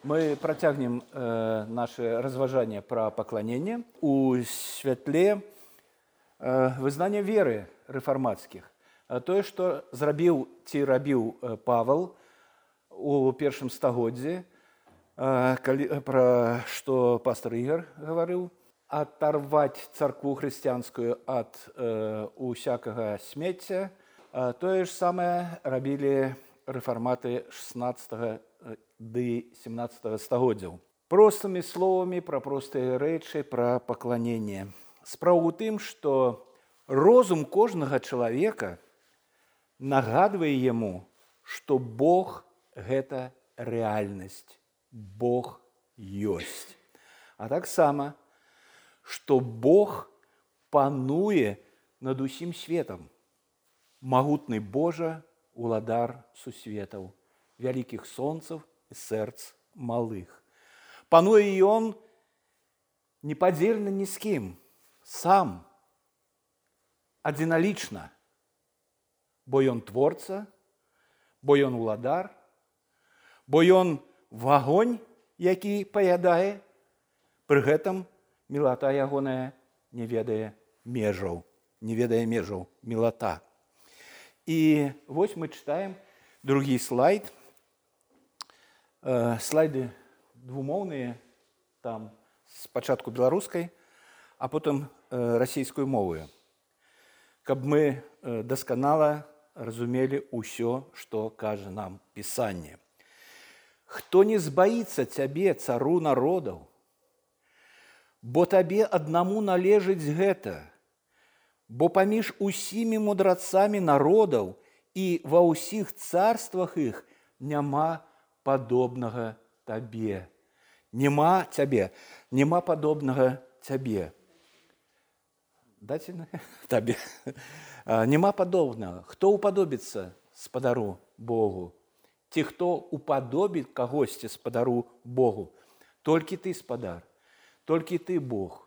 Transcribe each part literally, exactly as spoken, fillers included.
Мы працягнем э, наше разважанне пра пакланенне у святле э, вызнання веры рэфармацкіх. Тое, што зрабіў ці рабіў Павел у першым стагоддзі, э, калі, пра што пастор Ігор гаварыў, аторваць царкву хрысціянскую ад э, усякага смецця, э, тое ж самае рабілі рэфарматы шаснаццатага ды семнаццатага стагоддзяў. Простымі словамі пра простыя рэчы, пра пакланенне. Справа ў тым, што розум кожнага чалавека нагадвае яму, што Бог – гэта рэальнасць, Бог ёсць. А таксама, што Бог пануе над усім светам. Магутны Божа, уладар сусветаў, вялікіх сонцаў і сэрц малых. Пануе ён непадзельна ні з кім, сам, адзіналічна, бо ён творца, бо ён уладар, бо ён вагонь, які паядае, пры гэтым мілата ягоная не ведае межаў, не ведае межаў мілата. І вось мы чытаем другі слайд. Э, слайды двумоўныя, там спачатку беларускай, а потым э, расійскую мовою, каб мы э, дасканала разумелі ўсё, што кажа нам Пісанне. Хто не збаіцца цябе, цару народаў, бо табе аднаму належыць гэта, бо паміж усімі мудрацамі народаў і ва ўсіх царствах іх няма падобнага табе. Нема цябе, нема падобнага цябе. Дайце табе. Нема падобнага. Хто упадобіцца спадару Богу? Ці хто упадобіць кагосьці спадару Богу? Толькі ты спадар, толькі ты Бог,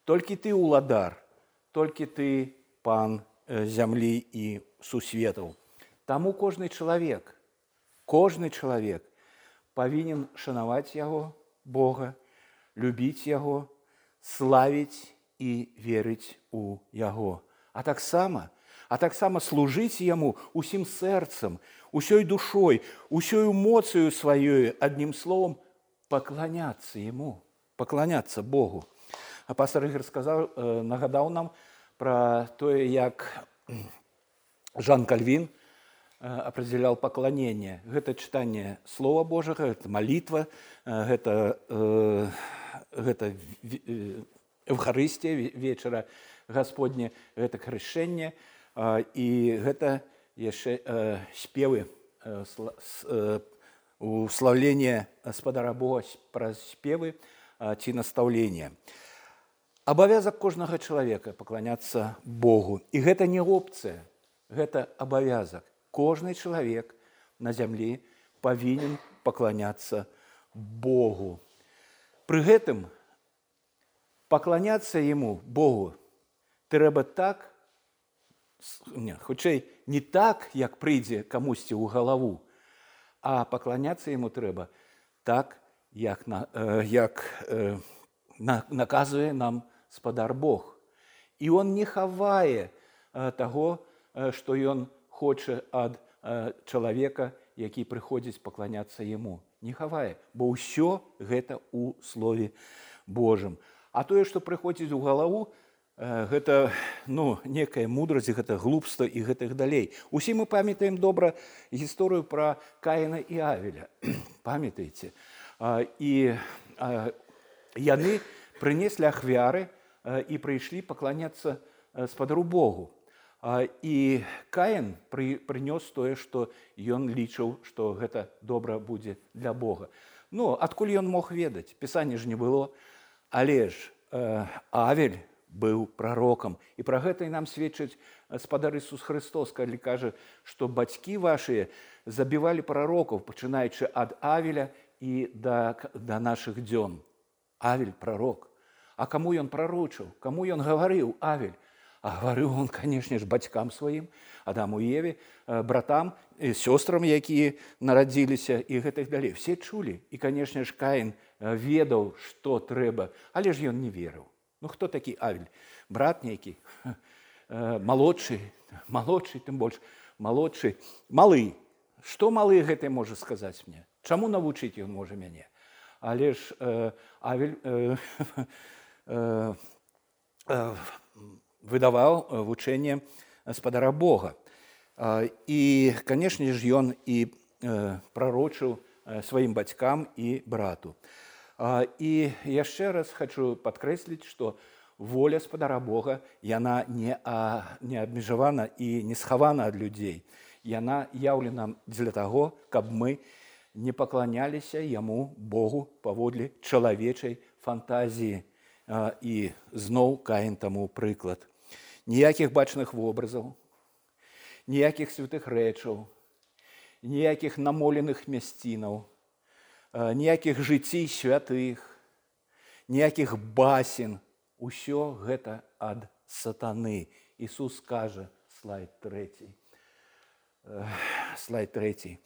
толькі ты уладар, толькі ты пан зямлі і сусветаў. Таму кожны чалавек, кожны чалавек павінен шанаваць яго, Бога, любіць яго, славіць і верыць у яго. А таксама, а таксама служыць яму усім сэрцам, усёй душой, усёй моцаю сваёй, адным словам, пакланяцца яму, пакланяцца Богу. А пастор Ігор сказаў, нагадаў нам пра тое, як Жан Кальвін апределял пакланенне. Гэта чытанне Слова Божага, гэта малітва, гэта, э, гэта Эўхарыстія, вечара Гасподня, гэта хрышэнне, э, і гэта яшчэ э, спевы, э, э, услаўленне спадара Бога праз спевы э, ці настаўленне. Абавязак кожнага чалавека пакланяцца Богу. І гэта не опцыя, гэта абавязак. Кожны чалавек на зямлі павінен пакланяцца Богу. Пры гэтым пакланяцца яму, Богу, трэба так, не, хутчэй, не так, як прыйдзе камусьці ў галаву, а пакланяцца яму трэба так, як, на, э, як э, на, наказуе нам спадар Бог. І он не хавае э, таго, э, што ён хоча ад э, чалавека, які прыходзіць пакланяцца яму. Не хавае, бо ўсё гэта ў Слове Божым. А тое, што прыходзіць у галаву, э, гэта ну, некая мудрасць, гэта глупства і гэтых далей. Усе мы памятаем добра гісторыю пра Каіна і Авеля. Памятаеце? А, і а, яны прынеслі ахвяры а, і прыйшлі пакланяцца спадару Богу. І Каін прынёс тое, што ён лічыў, што гэта добра будзе для Бога. Ну, адкуль ён мог ведаць? Пісання ж не было. Але ж э, Авель быў прарокам. І пра гэта і нам сведчыць спадар Ісус Христос, калі кажа, што бацькі вашыя забівалі прарокаў, пачынаючы ад Авеля і да, да нашых дзён. Авель прарок. А каму ён прарочыў? Каму ён гаварыў, Авель? А говорю он, конечно ж, бацькам сваім, Адаму і Еве, братам, сёстрам, якія нарадзіліся, і гэтых далей. Все чулі. І, конечно ж, Каін ведаў, што трэба, але ж ён не верыў. Ну, хто такі Авель? Брат нейкі, малодшы, малодшы, тым больш, малодшы, малы. Што малы гэты можа сказаць мне? Чаму навучыць ён можа мяне? Але ж э, Авель э, э, э, выдаваў вучэнне гаспадара Бога. І, канешне ж, ён і прарочыў сваім бацькам і брату. І яшчэ раз хочу падкрэсліць, што воля гаспадара Бога, яна не, а, не абмежавана і не схавана ад людзей. Яна яўлена для таго, каб мы не пакланяліся яму, Богу, паводле чалавечай фантазіі. І зноў Каін таму прыклад. Ніякіх бачных вобразаў, ніякіх святых рэчаў, ніякіх намоленых мясцінаў, ніякіх жыццей святых, ніякіх басен. Усё гэта ад сатаны. Ісус кажа, слайд трэці, слайд трэці,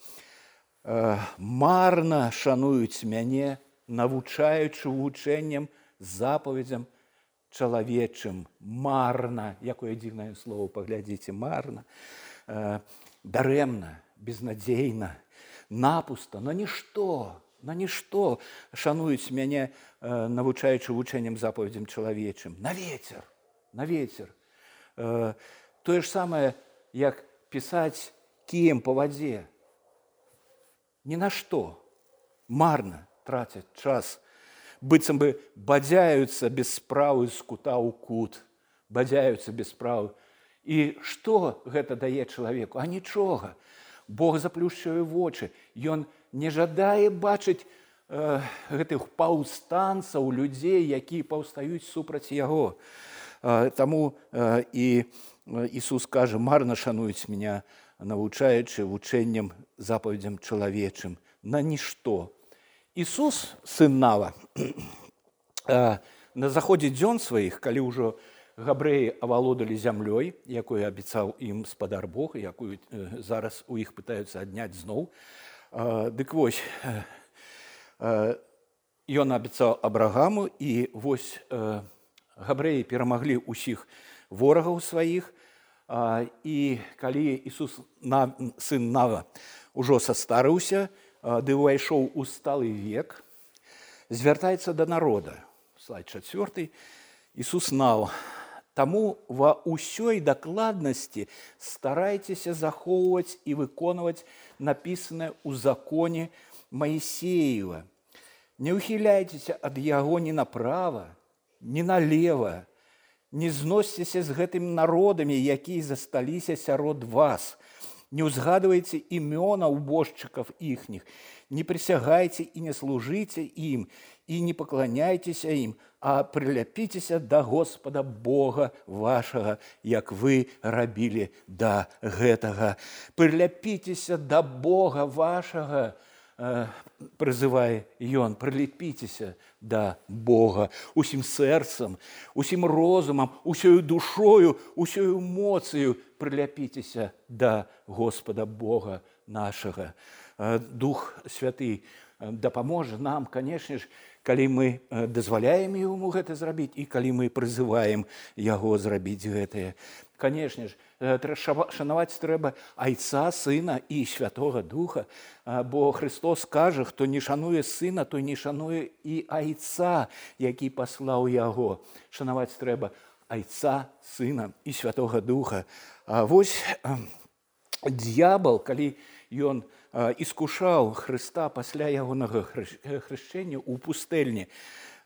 марна шануюць мяне, навучаючы вучэннем, запаведзям чалавечым. Марна, якое дзіўнае слово, паглядзіце, марна, дарэмна, безнадзейна, напуста, на нішто, на нішто шануюць мяне, навучаючы вучэннем, запаведзям чалавечым. На вецер, на вецер. Тое ж самае, як пісаць кіем па вадзе. Ні на што. Марна трацяць час. Быццам бы бадзяюцца без справы з кута ў кут. Бадзяюцца без справы. І што гэта дае чалавеку? А нічога. Бог заплюшчвае вочы. Ён не жадае бачыць э, гэтых паўстанцаў, людзей, якія паўстаюць супраць яго. Э, таму э, і Ісус кажа, марна шануюць меня, навучаючы вучэннем, запаведзям чалавечым. На нішто. Ісус, сын Нава, на заходзе дзён сваіх, калі ўжо габрэі авалодалі зямлёй, якую абяцаў ім гаспадар Бог, якую зараз у іх пытаюцца адняць зноў, дык вось, ён абяцаў Абрагаму, і вось габрэі перамаглі ўсіх ворагаў сваіх, і калі Ісус, сын Нава, ужо састарыўся, ды ўвайшоў у сталы век, звяртаецца да народа. Слайд чацвёрты. Ісус Нава. Таму ва ўсёй дакладнасці старайцеся захоўваць і выконваць напісанае ў законе Маісеева. Не ўхіляйцеся ад яго ні направа, ні налева. Не зносьцеся з гэтымі народамі, якія засталіся сярод вас. Не ўзгадвайце імёна убожчыкаў іхніх, не прысягайце і не служыце ім, і не пакланяйцеся ім, а прыляпіцеся да Господа Бога вашага, як вы рабілі да гэтага. Прыляпіцеся да Бога вашага, прызывае ён, прылепіцеся да Бога усім сэрцам, усім розумам, усёю душою, усёю моцыю прыляпіцеся да Господа Бога нашага. Дух Святы дапаможа нам, канешне ж, калі мы дазваляем яму гэта зрабіць і калі мы прызываем яго зрабіць гэтае. Канешне ж, шанаваць трэба Айца, Сына і Святога Духа, бо Христос кажа, хто не шануе Сына, той не шануе і Айца, які паслаў яго. Шанаваць трэба Айца, Сына і Святога Духа. А вось д'ябал, калі ён іскушаў Хрыста пасля ягонага хрышчэння ў пустэльні,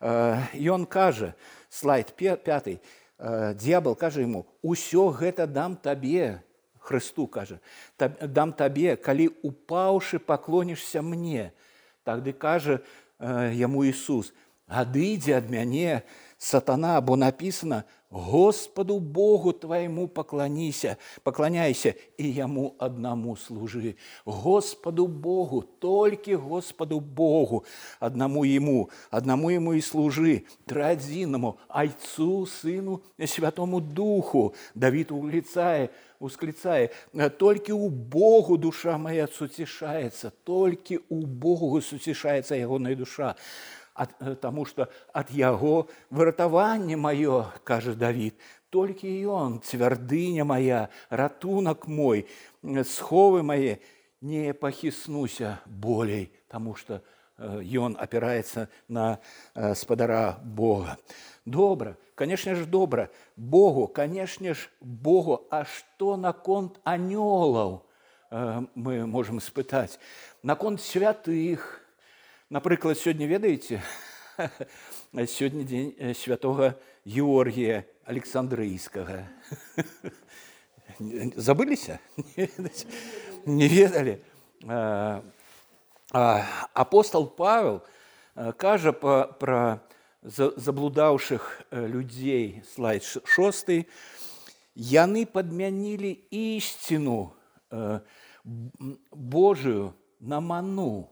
ён кажа, слайд пяты, д'ябал кажа яму, усё гэта дам табе, Хрысту кажа, дам табе, калі упаўшы паклонішся мне. Тады кажа яму Ісус, адыдзі ад мяне, сатана, бо написано: Господу Богу твоему поклонися, поклоняйся и Ему одному служи. Господу Богу, только Господу Богу, одному Ему, одному Ему и служи, троединому, Отцу, Сыну и Святому Духу. Давид улицая, усклицая: только у Богу душа моя сутешается, только у Богу сутешается ягоная душа. От, тому что от Яго выратаванне мое, каже Давид, только и Он, цвярдыня моя, ратунок мой, сховы мои, не похиснуся болей, тому что э, Он опирается на э, спадара Бога. Добро, конечно же, добро. Богу, конечно же, Богу. А что наконт анёлаў э, мы можем испытать? Наконт святых. Напрыклад, сёння, ведаеце, сёння дзень святого Георгія Александрыйскага. Забыліся? Не ведалі? Апостол Павел кажа пра заблудаўшых людзей, слайд шосты, яны падмянілі ісціну Божию на ману,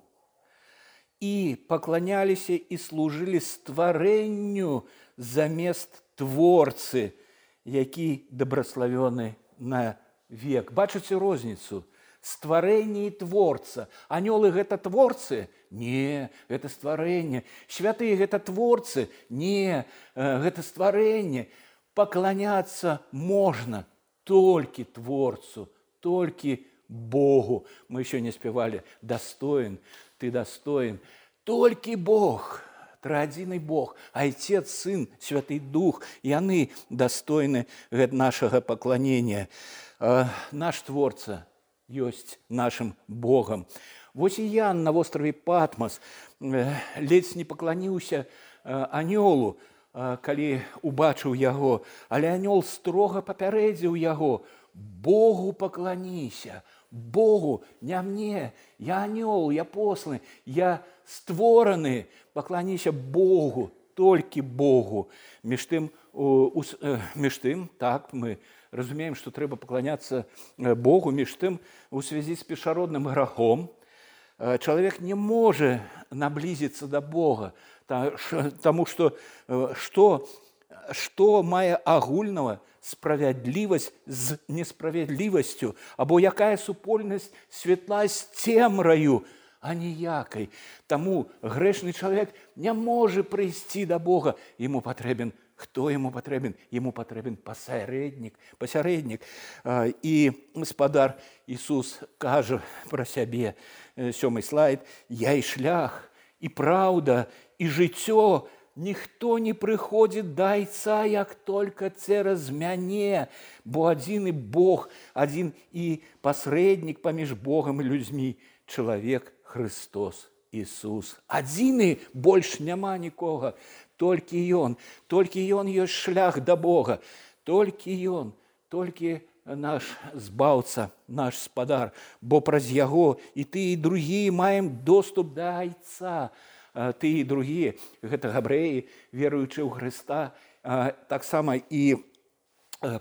и поклонялись и служили створенню замест Творцы, які добрословенный на век. Бачыце розніцу? Створение и Творца. Анёлы – это Творцы? Не, это створение. Святые – это Творцы? Не, это створение. Поклоняться можно только Творцу, только Богу. Мы еще не спевали «Достоин, ты достоин». Только Бог, троединый Бог, Отец, Сын, Святый Дух, яны достойны нашего поклонения. Наш Творца есть нашим Богом. Вось и Ян на острове Патмос ледзь не поклоніўся анёлу, калі убачыў яго, але анёл строга папярэдзіў яго: Богу поклоніся, Богу, не мне, я анёл, я посланы, я створаны, поклоніся Богу, только Богу. Між тым, між тым, так, мы разумеем, что трэба поклоняться Богу, між тым, у связи с першародным грахом, человек не может наблизиться до Бога, потому что что, что мае агульного справядлівасць з несправядлівасцю, або якая супольнасць светла з цемраю, а ніякай. Таму грэшны чалавек не можа прыйсці да Бога. Яму патрэбен, хто яму патрэбен? Яму патрэбен пасярэднік, пасярэднік. І спадар Ісус кажа пра сябе, сёмы слайд: я і шлях, і праўда, і жыццё. Ніхто не прыходзіць да Айца, як только цераз мяне, бо адзіны Бог, адзін і пасрэднік паміж Богам і людзьмі, чалавек Христос Ісус. Адзіны, больш няма нікога, толькі Ён, толькі Ён ёсць шлях да Бога, толькі Ён, толькі наш збаўца, наш спадар, бо праз Яго і ты, і другія маем доступ да Айца. Ты і другія, гэта габрэі, веруючы ў Хрыста, таксама і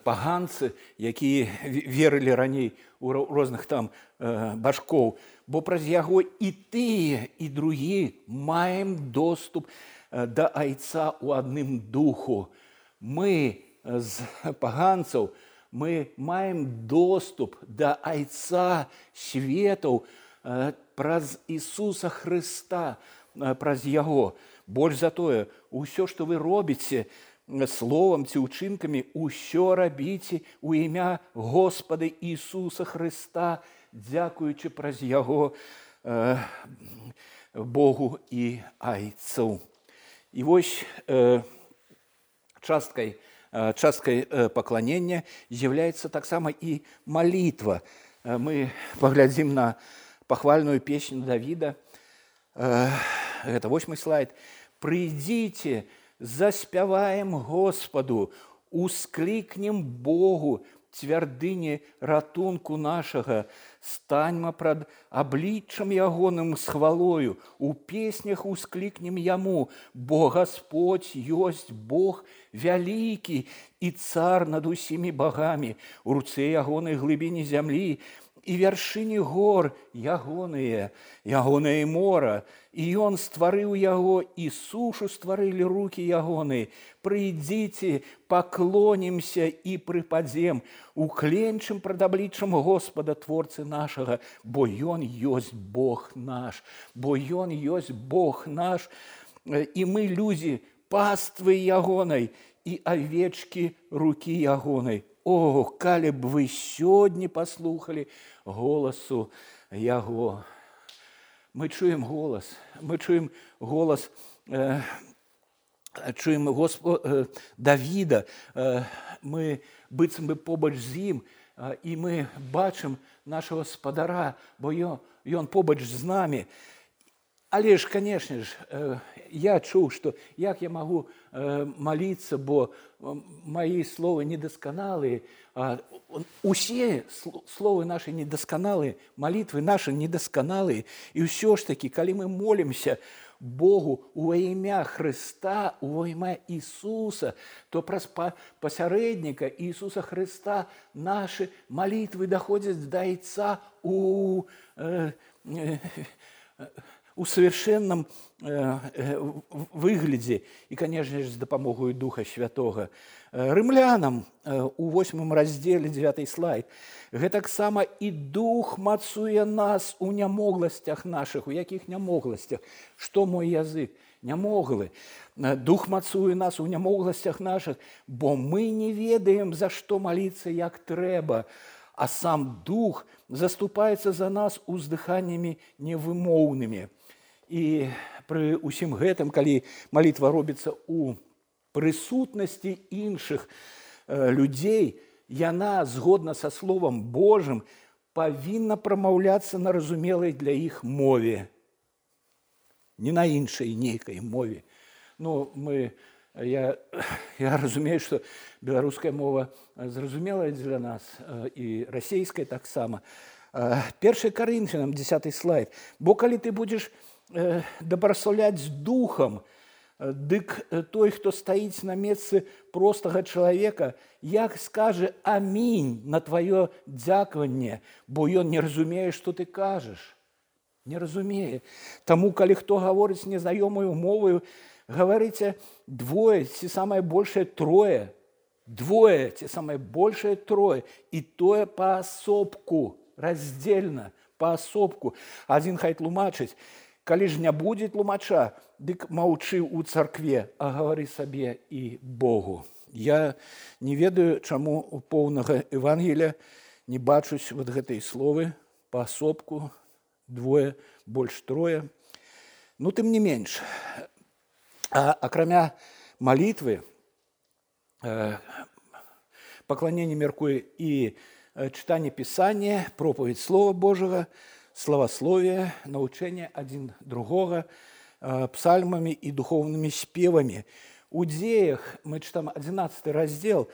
паганцы, якія верылі раней у розных там башкоў, бо праз яго і тыя, і другія маем доступ да Айца ў адным духу. Мы з паганцаў, мы маем доступ да Айца светаў праз Ісуса Хрыста, праз Яго. Больш за тое, усё, што вы робіце словам ці ўчынкамі, усё рабіце у імя Господа Ісуса Хрыста, дзякуючы праз Яго э, Богу і Айцу. І вось э, часткай, э, часткай э, пакланення з'яўляецца таксама і малітва. Э, мы паглядзім на пахвальную песню Давіда. Это восьмы слайд. «Придите, заспяваем Господу, ускликнем Богу, цвярдыні ратунку нашага, станьма прад абліччам ягоным з хвалою, у песнях усклікнем яму, бо Господь ёсць Бог вялікі і цар над усімі багамі, у руцэ ягонай глыбіні зямлі, і вяршыні гор ягоныя, ягонае мора, і ён стварыў яго, і сушу стварылі рукі ягоныя. Прыйдзіце, паклонімся і прыпадзем, укленчым прад абліччам Господа, Творцы нашага, бо ён ёсць Бог наш, бо ён ёсць Бог наш, і мы людзі паствы ягонай, і авечкі рукі ягонай. О, калі б вы сёння паслухалі голасу яго. Мы чуем голас, мы чуем голас, э, чуем Госпо, э, Давіда, э, мы быццам бы побач з ім, э, і мы бачым нашага спадара, бо ён, ён побач з намі. Але ж, канешне ж, я чуў, што як я магу маліцца, бо мои словы недасканалыя, усе словы наши недасканалыя, малітвы наши недасканалыя, і ўсё ж такі, калі мы молімся Богу во імя Христа, во імя Ісуса, то праз пасярэдніка Ісуса Христа наши малітвы даходзяць да Айца у э, э, у совершенном э, э, выглядзе і, конечно же, з дапамогою Духа Святога. Рымлянам э, у восьмым раздзеле, дзевяты слайд, гэтаксама і Дух мацуе нас у нямогласцях нашых. У якіх нямогласцях? Што мой язык? Нямоглы. Дух мацуе нас у нямогласцях нашых, бо мы не ведаем, за што маліцца як трэба, а сам Дух заступаецца за нас уздыханнямі невымоўнымі. І пры ўсім гэтым, калі малітва робіцца ў прысутнасці іншых э, людзей, яна, згодна са Словам Божым, павінна прамаўляцца на разумелай для іх мове. Не на іншай нейкай мове. Ну, мы, я, я разумею, што беларуская мова зразумелая для нас, э, і расейская таксама. Э, першы Карынфянам, дзесяты слайд. Бо калі ты будзеш дабраслаўляць з духам, дык той, хто стаіць на месцы простага чалавека, як скажа амінь на тваё дзякаванне, бо ён не разумее, што ты кажаш. Не разумее. Таму, калі хто гаворыць незнаёмаю моваю, гаварыце двое, ці самае большае трое. Двое, ці самае большае трое. І тое паасобку, раздзельна, паасобку. Адзін хай тлумачыць. Калі ж не будзе тлумача, дык маўчы ў царкве, а гавары сабе і Богу. Я не ведаю, чаму у поўнага Евангелія не бачусь вот гэтай словы паасобку, двое, больш трое. Ну, тым не менш. А акрамя малітвы, э, пакланенне мяркуе і чытанне Пісання, пропаведь Слова Божага, славасловие, научение один другого, псальмами и духовными спевами. У Дзеях, мы читаем одиннадцатый раздел,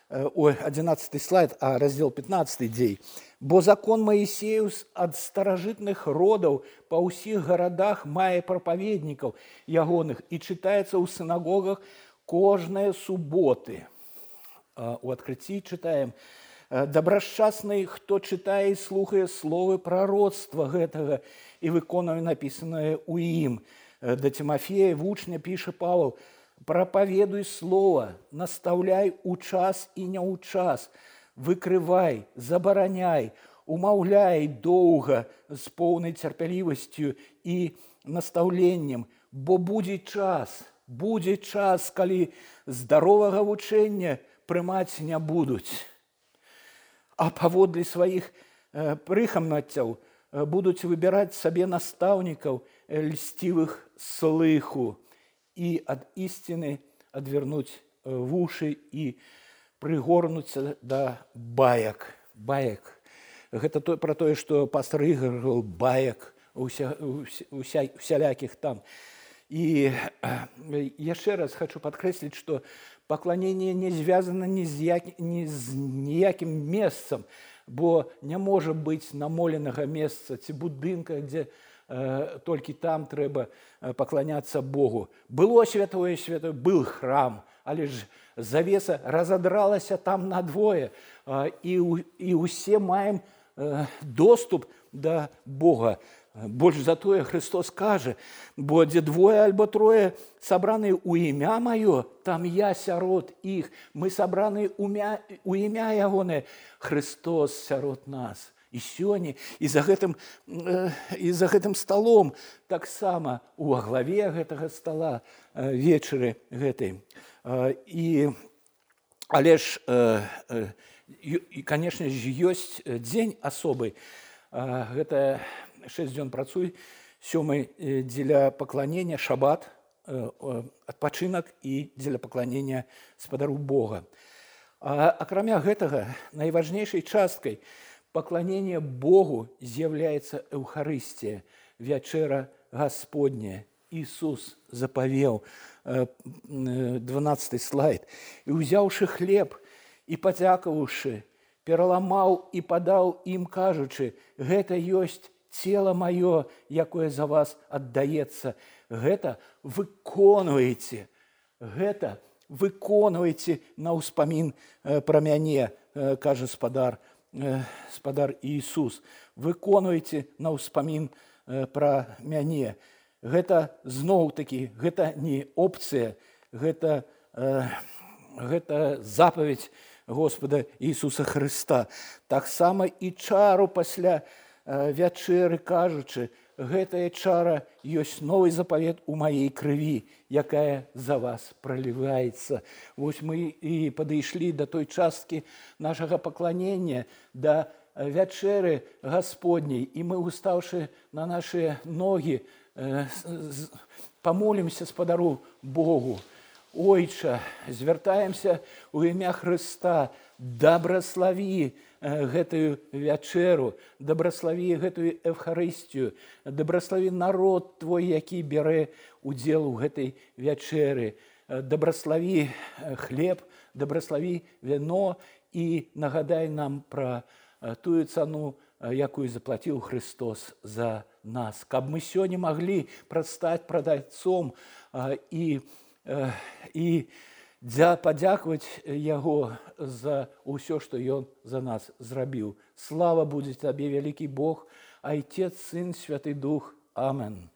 ой, одиннадцатый слайд, а раздел пятнадцатый Дзей. «Бо закон Моисеюс от старожитных родов по усіх городах мае проповедников ягоных и читается у синагогах кожные субботы». У Открытии читаем: «Добрашчасны, хто чытае і слухае словы прароцтва гэтага і выконвае напісанае ў ім». Да Тимофея вучня піша Павел: «Прапаведуй слова, настаўляй у час і не ў час, выкрывай, забараняй, умаўляй доўга з поўнай цярпялівасцю і настаўленнем, бо будзе час, будзе час, калі здаровага вучэння прымаць не будуць. А паводле сваіх э, прыхамнаццяў э, будуць выбіраць сабе настаўнікаў льсцівых слыху і ад ісціны адвярнуць э, вушы і прыгорнуцца да баек. Баек. Гэта то, пра тое, што пастар Ігар гаварыў, баек, уся, уся, усялякіх там. И еще раз хочу подкреслить, что поклонение не звязано ни з, як, ні з ніяким месцам, бо не може бути намоленого месца ці будинка, де э, тільки там треба поклоняться Богу. Було святое святое, был храм, але ж завеса разодралася там надвое, э, і, і усе маємо э, доступ до Бога. Больш за тое Христос каже, бо дзе двое альбо трое сабраны ў імя маё, там я сярод іх. Мы сабраны ў імя ягонае, Христос сярод нас. І сёння, і за гэтым, і за гэтым сталом, таксама у главе гэтага стала вечары гэтай. І, але ж, і, канешне ж, ёсць дзень асобы. Гэта шесть дзён працуй, сёмы дзеля пакланення, шабат, адпачынак і дзеля пакланення спадару Бога. А акрамя гэтага, найважнейшай часткай пакланення Богу з'яўляецца Эўхарыстія, вячэра Гасподняя. Ісус запавеў, дванаццаты слайд, і ўзяўшы хлеб і падзякаваўшы, пераламаў і падаў ім, кажучы, гэта ёсць цела маё, якое за вас аддаецца. Гэта выконваеце, гэта выконваеце на ўспамін пра мяне, кажа спадар, спадар Ісус. Выконваеце на ўспамін пра мяне. Гэта зноў-такі, гэта не опцыя, гэта, гэта запаведь Господа Ісуса Христа. Таксама і чару пасля вячэры, кажучы, гэтая чара ёсць новы запавет у маёй крыві, якая за вас проліваецца. Вось мы і падышлі да той часткі нашага пакланення, да вячэры Гасподняй, і мы, устаўшы на нашыя ногі, памолімся спадару Богу. Ойча, звяртаемся ў імя Хрыста, дабраславі гэтую вячэру, дабраславі гэтую Эўхарыстію, дабраславі народ твой, які бярэ удзел у гэтай вячэры, дабраславі хлеб, дабраславі віно і нагадай нам пра тую цану, якую заплаціў Христос за нас. Каб мы сёння маглі прадстаць прадаўцом і і падзякаваць яго за ўсё, што ён за нас зрабіў. Слава будзе табе, вялікі Бог, Айцец, Сын, Святы Дух. Амен.